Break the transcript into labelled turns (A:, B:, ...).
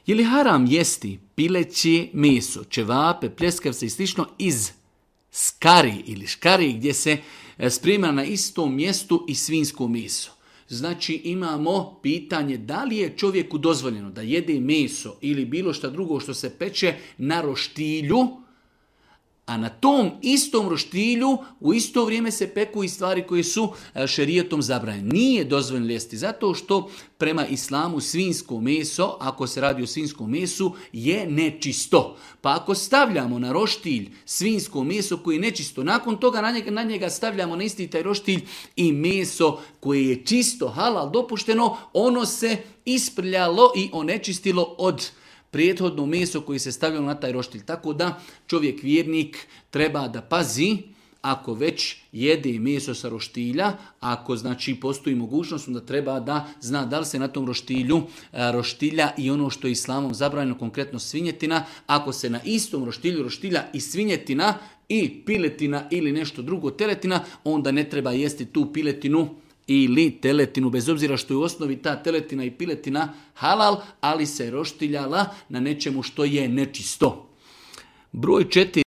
A: Je li haram jesti pileće meso, ćevape, pljeskavce i slično iz skari ili škari gdje se sprema na istom mjestu i svinjsko meso? Znači imamo pitanje da li je čovjeku dozvoljeno da jede meso ili bilo šta drugo što se peče na roštilju, a na tom istom roštilju u isto vrijeme se peku i stvari koje su šerijetom zabranjene. Nije dozvoljeno jesti zato što prema islamu svinjsko meso, ako se radi o svinjskom mesu, je nečisto. Pa ako stavljamo na roštilj svinjsko meso koje je nečisto, nakon toga na njega stavljamo na isti taj roštilj i meso koje je čisto, halal, dopušteno, ono se isprljalo i onečistilo od prethodno meso koje se stavljalo na taj roštilj. Tako da čovjek vjernik treba da pazi ako već jede meso sa roštilja, ako znači postoji mogućnost da treba da zna da li se na tom roštilju roštilja i ono što je islamom zabranjeno, konkretno svinjetina. Ako se na istom roštilju roštilja i svinjetina i piletina ili nešto drugo teletina, onda ne treba jesti tu piletinu ili teletinu, bez obzira što je u osnovi ta teletina i piletina halal, ali se roštiljala na nečemu što je nečisto. Broj 4.